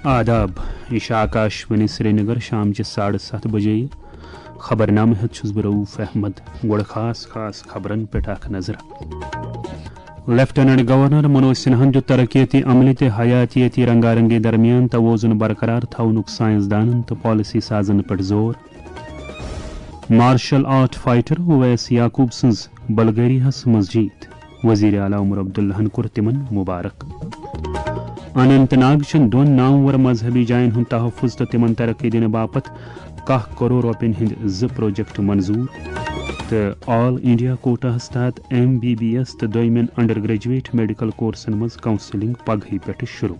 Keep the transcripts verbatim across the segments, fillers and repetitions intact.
آداب، یہِ چھِ آکاش وانی سرینگر، شام چہِ ساڑٕ ستھ بجے۔ خبرنامہٕ ہٮ۪تھ چھُس بہٕ رؤف احمد۔ گۄڈٕ خاص خاص خبرن پٮ۪ٹھ اکھ نظر۔ لیفٹیننٹ گورنر منوج سنہاہن دیُت ترقیتی عملہِ تہٕ حیاتیٲتی رنگا رنگی درمیان توازن برقرار تھاونُک سائنسدانن تہٕ پالیسی سازن پٮ۪ٹھ زور۔ مارشل آرٹ فائٹر اویس یعقوب سٕنٛز بلغاریاہس منٛز جیٖت، وزیر اعلیٰ عمر عبداللہن کوٚر تِمن مبارک۔ اننت ناگ چٮ۪ن دۄن نامور مذہبی جاین ہُنٛد تحفظ تہٕ تِمن ترقی دِنہٕ باپتھ کاہ کرور رۄپین ہٕنٛدۍ زٕ پروجیکٹ منظور۔ تہٕ آل انڈیا کوٹاہس تحت ایم بی بی ایس تہٕ دویمٮ۪ن انڈر گریجویٹ میڈیکل کورسن منٛز کاؤنسلنگ پگہٕے پٮ۪ٹھٕ شروع۔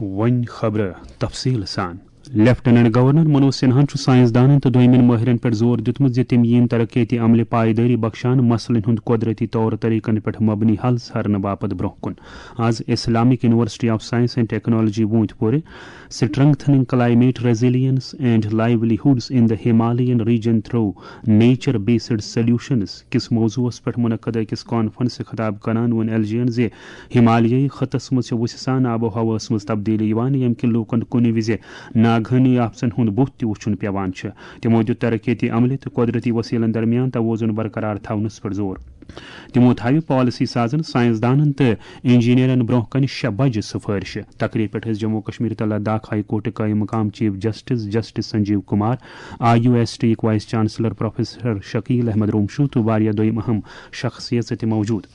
وۄنۍ خبرٕ تفصیٖل سان۔ لیفٹیننٹ گورنر منوج سنہاہن چھُ سائنسدانن تہٕ دویمٮ۪ن مٲہرن پٮ۪ٹھ زور دیُتمُت زِ تِم یِن ترقیتی عملہِ پایدٲری بخشان، مسلن ہُنٛد قۄدرتی طور طریقن پٮ۪ٹھ مبنی حل ژھارنہٕ باپتھ برونٛہہ کُن۔ آز Islamic university of science and technology ووٗنٛتۍ پورِ Strengthening Climate Resilience and Livelihoods in the Himalayan Region Through Nature Based Solutions کِس موضوعس پٮ۪ٹھ منعقد أکِس کانفرنسہِ خطاب کران ووٚن ایل جی ین زِ ہمالیٲیی خطس منٛز چھِ وُژھِ سان آب و ہوہَس منٛز تبدیلی یِوان، ییٚمہِ کِنۍ لوٗکَن کُنہِ وِزِ ناگہٲنی آفژَن ہُنٛد بُتھ تہِ وُچھُن پٮ۪وان چھُ۔ تِمو دیُت ترقیتی عملہِ تہٕ قۄدرتی وسیلن درمیان توازن برقرار تھاونَس پٮ۪ٹھ زور۔ تِمو تھاوِ پالیسی سازن، سائنسدانن تہٕ انجینئرن برونٛہہ کنہِ شےٚ بجہِ سفٲرشہِ۔ تقریب پٮ۪ٹھ ٲسۍ جموں کشمیر تہٕ لداخ ہائی کورٹٕکۍ قٲیِم مقام chief justice justice Sanjeev Kumar, I U S T یِکۍ vice chancellor professor Shakeel Ahmad Romshoo تہٕ واریاہ دوٚیِم اہم شخصیژٕ تہِ موجود۔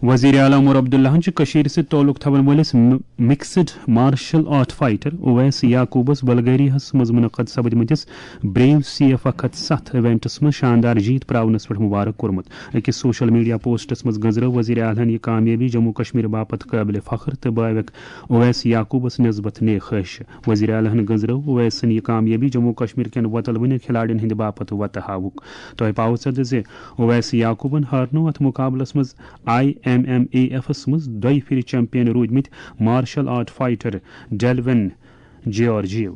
وزیر اعلیٰ عمر عبداللہن چھُ کٔشیٖرِ سۭتۍ تعلق تھاون وٲلِس م-، mixed martial art fighter Owais یعقوبس بلغاریاہس منٛز منعقد سپدمٕتِس بریو سی ایف اکھ ہتھ ستھ ایونٹس منٛز شاندار جیت پراونس پٮ۪ٹھ مبارک کوٚرمُت۔ أکِس سوشل میڈیا پوسٹس منٛز گٔنزرٲو وزیر اعلیٰ ہن یہِ کامیٲبی جموں کشمیر باپتھ قٲبلِ فخر تہٕ بٲوِق اویس یعقوبس نسبت نیک خواہش۔ وزیر اعلیٰ ہن گٔنزرٲو اویس سٕنٛز یہِ کامیٲبی جموں کشمیر کٮ۪ن وۄتلوٕنہِ کھلاڑٮ۪ن ہٕنٛدِ باپتھ وۄتہٕ ہاوُک۔ تۄہہِ پاوو ژےٚ زِ اویس یعقوبن ہارنوو اتھ مقابلس منٛز آئی ایم ایم اے ایفس منٛز دۄیہِ پھِرِ چیمپین روٗدمٕتۍ مارشل آرٹ فائٹر ڈیلوین جیارجیو۔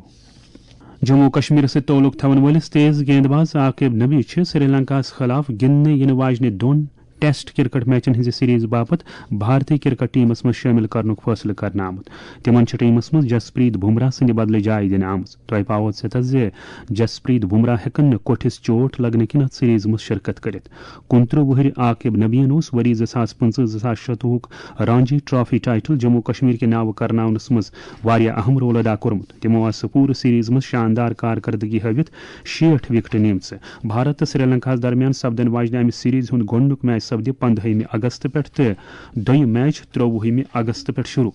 جموں کشمیرس سۭتۍ تعلق تھاون وٲلِس تیز گیند باز عاقب نبی چھِ سری لنکاہس خلاف گِنٛدنہٕ یِنہٕ واجنہِ دۄن ٹیسٹ کرکٹ میچن ہٕنٛزِ سیریز باپتھ بھارتی کرکٹ ٹیمس منٛز شٲمِل کرنُک فٲصلہٕ کرنہٕ آمُت۔ تِمن چھِ ٹیمس منٛز جسپریت بمراہ سٕنٛدِ بدلہٕ جاے دِنہٕ آمٕژ۔ تۄہہِ پاوو ژےٚ زِ جسپریت بمراہ ہٮ۪کن نہٕ کوٹھِس چوٹ لگنہٕ کِنۍ اتھ سیریز منٛز شرکت کٔرِتھ۔ کُنترٕہ وُہرِ عاقب نبیَن اوس ؤری زٕ ساس پٕنٛژٕہ زٕ ساس شُتوُہُک رانجی ٹرافی ٹائٹل جموں کشمیر کہِ ناوٕ کرناونس منٛز واریاہ اہم رول ادا کوٚرمُت۔ تِمو آسہٕ سُہ پوٗرٕ سیریز منٛز شاندار کارکردگی ہٲوِتھ شیٹھ وکٹہٕ نِمژٕ۔ بھارت تہٕ سری لنکاہَس درمیان سپدن واجنہِ امہِ سیریز ہُنٛد گۄڈٕنیُک میچ سپدِ پندہٲیمہِ اگست پٮ۪ٹھ تہٕ دوٚیِم میچ ترٛۆوُہمہِ اگست پٮ۪ٹھ شروع۔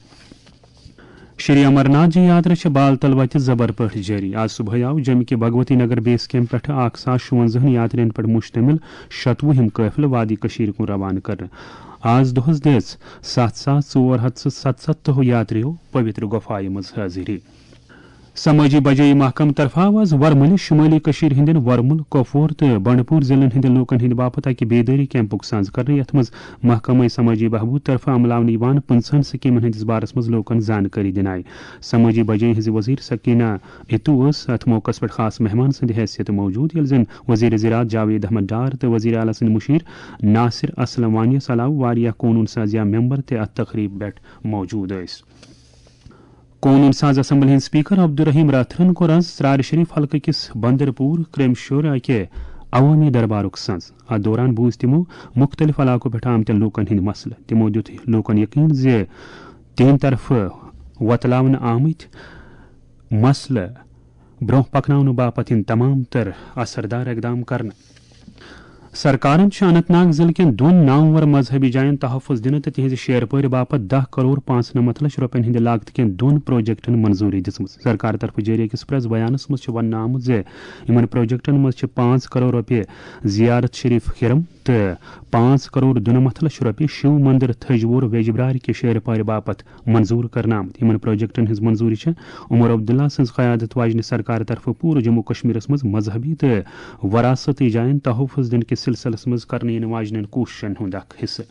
شری امرناتھ جی یاترا چھِ بالتل وتہِ زبر پٲٹھۍ جٲری۔ آز صبحٲے آو جوٚمہِ کہِ بھگوتی نگر بیس کیمپ پٮ۪ٹھٕ اکھ ساس شُوَنزاہَن یاترین پٮ۪ٹھ مشتمل شتوُہِم قٲفلہٕ وادی کشیٖر کُن روانہٕ کرنہٕ۔ آز دۄہس دِژ ستھ ساس ژور ہتھ تہٕ ستستھو یاتریو پویتر گۄپھایہِ منٛز حٲضری۔ سمٲجی بجٲیی محکمہٕ طرفہٕ آو آز ورمُلہِ شُمٲلی کٔشیٖرِ ہٕنٛدٮ۪ن ورمُل، کۄپوور تہٕ بنڈپوٗر ضلعن ہٕنٛدٮ۪ن لوٗکن ہٕنٛدِ باپتھ اکہِ بیدٲری کیمپُک سنز کرنہٕ، یتھ منٛز محکمہٕ سمٲجی بہبود طرفہٕ عملاونہٕ یِوان پٕنٛژٕہن سکیمن ہٕنٛدِس بارس منٛز لوٗکن زانکٲری دِنہٕ آیہِ۔ سمٲجی بجٲیی ہٕنٛزِ وزیر سکینہ اتو ٲس اتھ موقعس پٮ۪ٹھ خاص مہمان سٕنٛدِ حیثیت موجود، ییٚلہِ زن وزیر زراعت جاوید احمد ڈار تہٕ وزیر اعلیٰ سٕنٛدِ مُشیر ناصر اسلم وانیَس علاوٕ واریاہ قونوٗن سازیہ ممبر تہِ اتھ تقریبہِ پٮ۪ٹھ موجود ٲسۍ۔ قونوٗن ساز اسمبلی ہٕنٛدۍ اسپیکر عبدالرحیم راتھرن کوٚر آز ژرارِ شریف حلقہٕ کِس بندرپور کرمشور اکہِ عوٲمی دربارُک سنز۔ اتھ دوران بوٗزۍ تِمو مُختٔلِف علاقو پٮ۪ٹھ آمتٮ۪ن لوٗکن ہٕنٛدۍ مسلہٕ۔ تِمو دیُت لوٗکن یقین زِ تِہنٛدِ طرفہٕ وۄتلاونہٕ آمٕتۍ مسلہٕ برونٛہہ پکناونہٕ باپتھ یِن تمام تر اثردار اقدام کرنہٕ۔ سرکارن چھِ اننت ناگ ضلعہٕ کٮ۪ن دۄن نامور مذہبی جاین تحفظ دِنہٕ تہٕ تِہنٛزِ شیرپٲرِ باپتھ دَہ کرور پانٛژنَمَتھ لچھ رۄپین ہٕنٛدِ لاگتہٕ کٮ۪ن دۄن پروجیکٹن منظوٗری دِژمٕژ۔ سرکار طرفہٕ جٲری أکِس پریس بیانس منٛز چھُ وننہٕ آمُت زِ یِمن پروجیکٹن منٛز چھِ پانٛژھ کرور رۄپیہِ زیارت شریف کھِرم تہٕ پانٛژھ کرور دُنَمَتھ لچھ رۄپیہِ شِو مندر تھجوور ویجبرارِ کہِ شیرپارِ باپتھ منظوٗر کرنہٕ آمٕتۍ۔ یِمن پروجیکٹن ہٕنٛز منظوٗری چھےٚ عمر عبداللہ سٕنٛز قیادت واجنہِ سرکار طرفہٕ پوٗرٕ جموں کشمیرس منٛز مذہبی تہٕ وراثتی جاین تحفظ دِنہٕ کِس سلسلس منٛز کرنہٕ یِنہٕ واجنٮ۪ن کوٗششن ہُنٛد اکھ حصہٕ۔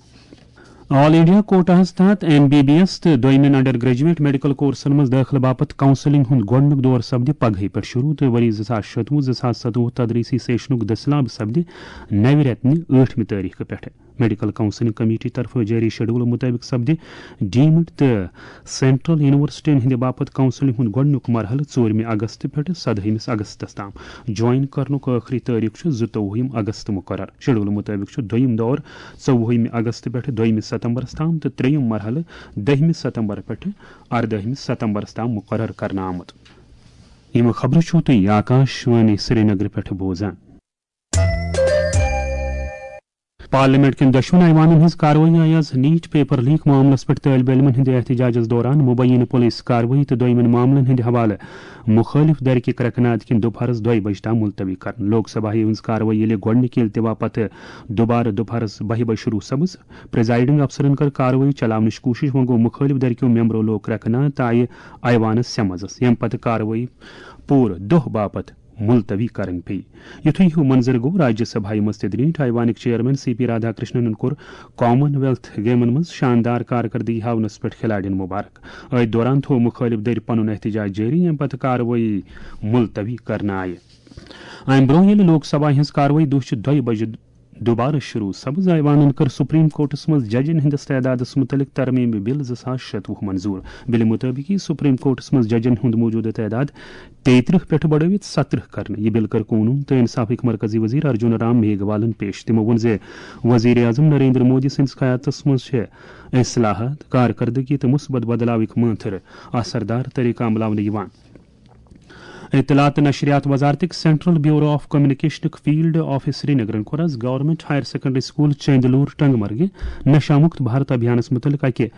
آل انڈیا کوٹاہس تحت ایم بی بی ایس تہٕ دوٚیمٮ۪ن انڈر گریجویٹ میڈیکل کورسن منٛز دٲخلہٕ باپتھ کاؤنسلنگ ہُنٛد گۄڈٕنیُک دور سپدِ پگہٕے پٮ۪ٹھ شروع تہٕ ؤری زٕ ساس شتوُہ زٕ ساس ستوُہ تدریسی سیشنُک دٔسلاب سپدِ نوِ رٮ۪تہٕ نہِ ٲٹھمہِ تٲریخہٕ پٮ۪ٹھٕ۔ میڈیکل کاؤنسلنگ کمیٹی طرفہٕ جٲری شیڈول مُطٲبِق سپدِ ڈیمڈ تہٕ سینٹرل یونیورسٹین ہٕنٛدِ باپتھ کاؤنسلنگ ہُنٛد گۄڈٕنیُک مرحلہٕ ژوٗرمہِ اگست پٮ۪ٹھٕ سدٲہمِس اگستس تام۔ جوائن کرنُک ٲخری تٲریخ چھُ زٕتووُہِم اگست مُقرر۔ شیڈول مُطٲبِق چھُ دوٚیِم دور ژوٚوُہِمہِ اگست پٮ۪ٹھٕ دوٚیمہِ ستمبرس تام تہٕ ترٛیٚیِم مرحلہٕ دٔہمہِ ستمبر پٮ۪ٹھٕ اردٲہمہِ ستمبرس تام مُقرر کرنہٕ آمُت۔ یِم خبرٕ چھِو تُہۍ آکاش وانی سرینگرٕ پٮ۪ٹھٕ بوزان۔ پارلیمنٹ کٮ۪ن دۄشوٕنی ایوانن ہٕنٛز کاروٲیی آیہِ آز نیٹ پیپر لیک معاملس پٮ۪ٹھ طٲلبہِ علمن ہٕنٛدِ احتجاجس دوران مبینہ پولیس کاروٲیی تہٕ دوٚیمٮ۪ن معاملن ہٕنٛدِ حوالہٕ مُخٲلف دھرکہِ کرٛٮ۪کہٕ ناد کِنۍ دُپہرس دۄیہِ بجہِ تام ملتوی کرنہٕ۔ لوک سبھایہ ہٕنٛز کاروٲیی ییٚلہِ گۄڈٕنِکہِ التوا پتہٕ دُبارٕ دُپہرس بہہِ بجہِ شروع سپٕز، پریزائیڈنگ افسرن کٔر کاروٲیی چلاونٕچ کوٗشش، وۄنۍ گوٚو مُخٲلف دھرکیو ممبرو لوگ کرٛٮ۪کہٕ ناد تہٕ آیہِ ایوانس سمزس، ییٚمہِ پتہٕ کاروٲیی پوٗرٕ دۄہ باپتھ ملتوی کرٕنۍ پیٚیہِ۔ یُتھُے ہیوٗ منظر گوٚو، راجیہ سبھایہ منٛز تہِ درٛیٖٹھ ایوانٕکۍ چیئرمین سی پی رادھا کرشننن کوٚر کامن ویلتھ گیمن منٛز شاندار کارکردگی ہاونس پٮ۪ٹھ کھلاڑین مبارک۔ أتھۍ دوران تھوٚو مُخٲلف دٔرۍ پنُن احتجاج جٲری، ییٚمہِ پتہٕ کاروٲیی ملتوی کرنہٕ آیہِ۔ امہِ برٛونٛہہ ییٚلہِ لوک سبھا ہٕنٛز کاروٲیی دُہچہِ دۄیہِ بجہِ دُبارٕ شروع سپٕز، ایوانن کٔر سپریم کورٹس منٛز ججن ہٕنٛدِس تعدادس مُتعلق ترمیمی بل زٕ ساس شتوُہ منظور۔ بلہِ مُطٲبِق یِیہِ سپریم کورٹس منٛز ججن ہُنٛد موجودٕ تعداد تیٚیہِ ترٕٛہ پٮ۪ٹھ بڑٲوِتھ سترٕہ کرنہٕ۔ یہِ بل کٔر قونوٗن تہٕ انصافٕکۍ مرکزی وزیر ارجُن رام میگھوالن پیش۔ تِمو ووٚن زِ وزیر اعظم نریندر مودی سٕنٛدِس قیادتس منٛز چھِ اصلاحات، کارکردگی تہٕ مثبت بدلاوٕکۍ مٲنتھٕر اثردار طریقہٕ عملاونہٕ یِوان۔ اطلاعات تہٕ نشریات وزارتٕکۍ سینٹرل بیورو آف کمیونیکیشنُک فیلڈ آفس سرینگرن کوٚر آز government higher secondary school Chandilora ٹنگ مرگہِ نشہ مکت بھارت ابھیانس متعلق اکہِ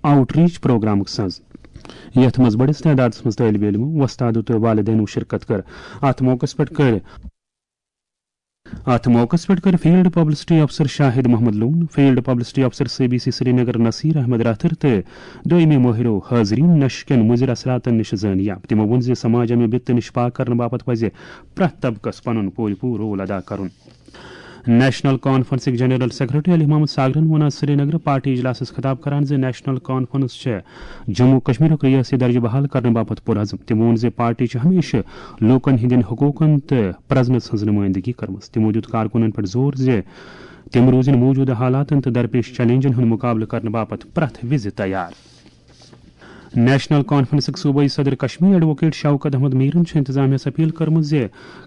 آؤٹ ریچ پروگرامُک سنز، یتھ منٛز بٔڑِس تعدادس منٛز طٲلبہِ علمو، وۄستادو تہٕ والدینو شرکت کٔر۔ اتھ موقعس پٮ۪ٹھ کٔر اتھ موقعس پٮ۪ٹھ کٔر فیلڈ پبلسٹی افسر شاہد محمد لون، فیلڈ پبلسٹی افسر C B C Srinagar Nasir Ahmad Rather تہٕ دوٚیمہِ مٲہرو حاضریٖن نشہٕ کٮ۪ن مُضِر اثراتن نِش زٲنیاب۔ تِمو ووٚن زِ سماج امہِ بِتہٕ نِش پاک کرنہٕ باپتھ پزِ پرٛٮ۪تھ طبقس پنُن پوٗرٕ پوٗرٕ رول ادا کرُن۔ نیشنل کانفرنسٕکۍ جنرل سیکرٹری علی محمد ساگرن ووٚن آز سرینگرٕ پارٹی اجلاسس خطاب کران زِ نیشنل کانفرنس چھےٚ جموں کشمیرُک ریاستی درجہٕ بحال کرنہٕ باپتھ پُرعزم۔ تٔمۍ ووٚن زِ پارٹی چھِ ہمیشہٕ لوٗکن ہٕنٛدٮ۪ن حقوٗقن تہٕ پرزنس ہٕنٛز نُمٲیندگی کٔرمٕژ۔ تِمو دیُت کارکُنن پٮ۪ٹھ زور زِ تِم روٗزِن موٗجوٗدٕ حالاتن تہٕ درپیش چیلنجن ہُنٛد مُقابلہٕ کرنہٕ باپتھ پرٛٮ۪تھ وِزِ تیار۔ نیشنل کانفرنسٕکۍ صوبٲئی صدر کشمیر ایڈووکیٹ شوکت احمد میرن چھِ انتظامیہس اپیل کٔرمٕژ زِ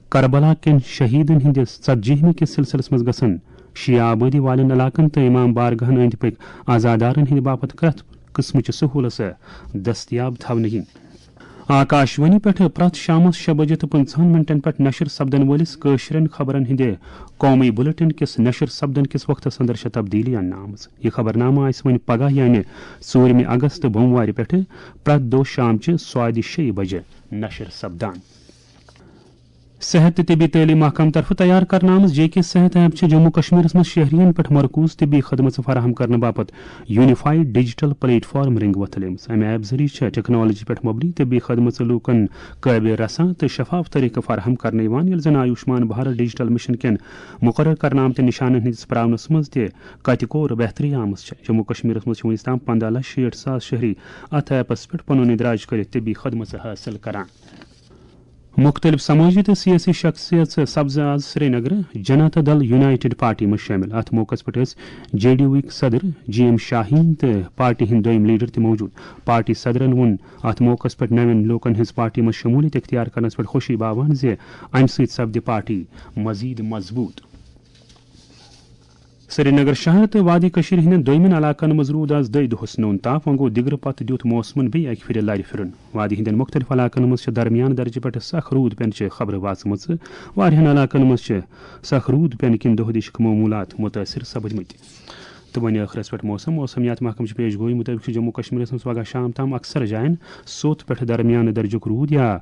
کربلا کٮ۪ن شہیدن ہٕنٛدِس ژتجیہمہِ کِس سلسلس منٛز گژھن شیعہ آبٲدی والٮ۪ن علاقن تہٕ امام بارگاہن أنٛدۍ پٔکۍ عزادارن ہٕنٛدِ باپتھ پرٛٮ۪تھ قٕسمٕچہِ سہوٗلژٕ دٔستیاب تھاونہٕ یِنۍ۔ آکاشوانی پٮ۪ٹھ پرٛٮ۪تھ شامس شےٚ بجے تہٕ پٕنٛژٕہن منٹن پٮ۪ٹھ نشر سپدن وٲلِس کٲشرٮ۪ن خبرن ہٕنٛدِ قومی بلیٹن کِس نشر سپدن کِس وقتس اندر چھےٚ تبدیلی اننہٕ آمٕژ۔ یہِ خبرنامہٕ آسہِ وۄنۍ پگاہ یعنی ژوٗرمہِ اگست بوموارِ پٮ۪ٹھٕ پرٛٮ۪تھ دۄہ شامچہِ سوادِ شیٚیہِ بجہِ نشر سپدان۔ صحت تہٕ طبی تعلیٖم محکمہٕ طرفہٕ تیار کرنہٕ آمٕژ جے کے صحت ایپ چھِ جموں کشمیرس منٛز شہرین پٮ۪ٹھ مرکوز طبی خدمژٕ فراہم کرنہٕ باپتھ یونیفائیڈ ڈیجیٹل پلیٹ فارم رنگ وۄتھلیمٕژ۔ امہِ ایپ ذٔریعہٕ چھِ ٹیکنالوجی پٮ۪ٹھ مبنی طبی خدمژٕ لوٗکن قٲبل رساں تہٕ شفاف طریقہٕ فراہم کرنہٕ یِوان، ییٚلہِ زن آیوشمان بھارت ڈیجیٹل مشن کٮ۪ن مُقرر کرنہٕ آمتٮ۪ن نشانن ہٕنٛدِس پراونس منٛز تہِ کتہِ کور بہتری آمٕژ چھےٚ۔ جموں کشمیرس منٛز چھِ وُنیُس تام پنداہ لچھ شیٹھ ساس شہری اتھ ایپس پٮ۪ٹھ پنُن اندراج کٔرِتھ طبی خدمژٕ حٲصِل کران۔ مُختٔلِف سمٲجی تہٕ سیٲسی شخصیژٕ سپزٕ آز سرینگرٕ جنتا دل یونائیٹڈ پارٹی منٛز شٲمِل۔ اَتھ موقعس پٮ۪ٹھ ٲسۍ جے ڈی یوٗ ہٕکۍ صدر جی ایم شاہیٖن تہٕ پارٹی ہٕنٛدۍ دوٚیِم لیڈر تہِ موجود۔ پارٹی صدرن ووٚن اَتھ موقعس پٮ۪ٹھ نوٮ۪ن لوٗکن ہٕنٛز پارٹی منٛز شمولیت اختیار کرنس پٮ۪ٹھ خوشی باوان زِ اَمہِ سۭتۍ سپدِ پارٹی مزید مضبوط۔ سرینگر شہر تہٕ وادی کٔشیٖرِ ہٕنٛدٮ۪ن دوٚیمٮ۪ن علاقن منٛز روٗد آز دۄیہِ دۄہس نوٚن تاپھ، وۄنۍ گوٚو دِگرٕ پتہٕ دیُت موسمن بیٚیہِ اکہِ پھِرِ لرِ پھِرُن۔ وادی ہٕنٛدٮ۪ن مُختٔلِف علاقن منٛز چھِ درمیان درجہٕ پٮ۪ٹھٕ سخ روٗد پینہٕ چہِ خبرٕ واژمٕژ۔ واریاہن علاقن منٛز چھِ سخ روٗد پینہٕ کِنۍ دۄہ دِشِکۍ معموٗلات مُتٲثِر سپٕدمٕتۍ۔ تہٕ وۄنۍ ٲخرس پٮ۪ٹھ موسم۔ موسمیات محکمہٕ چہِ پیش گویی مُطٲبِق چھُ جموں کشمیرس منٛز پگاہ شام تام اکثر جاین سوٚت پٮ۪ٹھٕ درمیانہٕ درجُک روٗد یا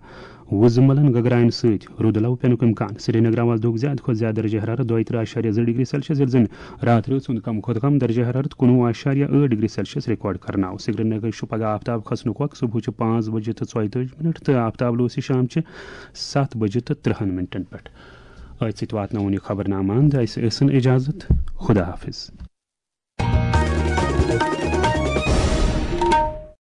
وُزملن گگراین سۭتۍ رُدٕ لو پینُک امکان۔ سرینگر آواز دۄہُک زیادٕ کھۄتہٕ زیادٕ درجہ حرارت دۄیہِ ترٕٛہ اعشاریہ زٕ ڈگری سیلسیس، ییٚلہِ زن راتھ رٲژ ہُنٛد کم کھۄتہٕ کم درجہ حرارت کُنوُہ اعشاریہ ٲٹھ ڈگری سیلسیس ریکارڈ کرنہٕ آو۔ سرینگر چھُ پگاہ آفتاب کھسنُک وقت، صبحٕچہِ پانٛژھ بجہِ تہٕ ژۄیہِ تٲجی منٹ تہٕ آفتاب لوسی شامچہِ ستھ بجہِ تہٕ ترٕٛہن منٹن پٮ۪ٹھ۔ أتھۍ سۭتۍ واتناوون یہِ خبرنامہٕ اند۔ اسہِ ٲسِن اجازت۔ خدا حافظ۔